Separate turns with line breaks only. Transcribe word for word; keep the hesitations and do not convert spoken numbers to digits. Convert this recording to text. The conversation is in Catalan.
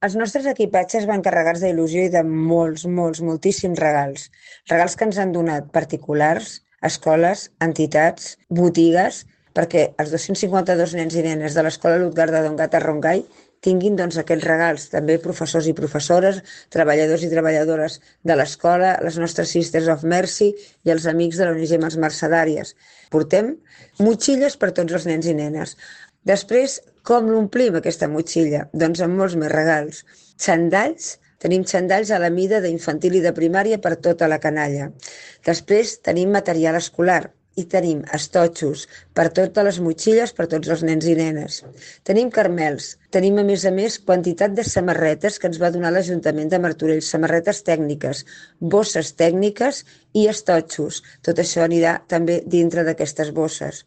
Els nostres equipatges van carregats d'il·lusió i de molts, molts, moltíssims regals. Regals que ens han donat particulars, escoles, entitats, botigues, perquè els dos-cents cinquanta-dos nens i nenes de l'Escola Lutgarda Dongat a Rongai tinguin doncs, aquests regals. També professors i professores, treballadors i treballadores de l'escola, les nostres Sisters of Mercy i els amics de l'O N G Mans Mercedàries. Portem motxilles per tots els nens i nenes. Després, com l'omplim aquesta motxilla? Doncs amb molts més regals. Xandalls, tenim xandalls a la mida d'infantil i de primària per tota la canalla. Després tenim material escolar i tenim estotxos per totes les motxilles, per tots els nens i nenes. Tenim carmels, tenim a més a més quantitat de samarretes que ens va donar l'Ajuntament de Martorell, samarretes tècniques, bosses tècniques i estotxos. Tot això anirà també dintre d'aquestes bosses.